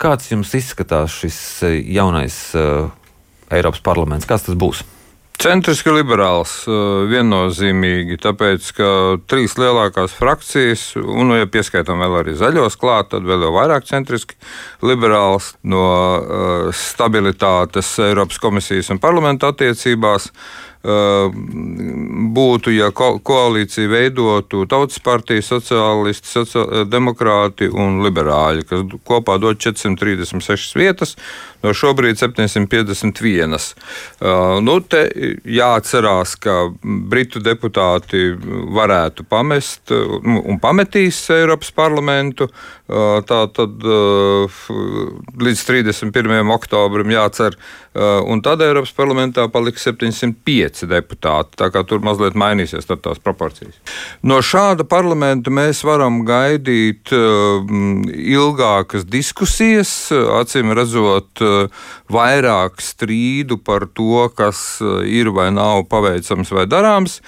Kāds jums izskatās šis jaunais Eiropas parlaments? Kāds tas būs? Centriski liberāls, viennozīmīgi, tāpēc, ka 3 lielākās frakcijas, un, ja pieskaitām vēl arī zaļos klāt, tad vēl jau vairāk centriski liberāls no stabilitātes Eiropas komisijas un parlamenta attiecībās būtu, ja koalīciju veidotu Tautas partija, sociālisti, demokrāti un liberāļi, kas kopā dod 436 vietas, no šobrīd 751. Te jāatcerās, ka britu deputāti varētu pamest un pametīs Eiropas parlamentu. Tātad līdz 31. oktobrim jācer, un tad Eiropas parlamentā paliks 705 deputāti, tā kā tur mazliet mainīsies tās proporcijas. No šāda parlamenta mēs varam gaidīt ilgākas diskusijas, acīm redzot vairāk strīdu par to, kas ir vai nav paveicams vai darāms.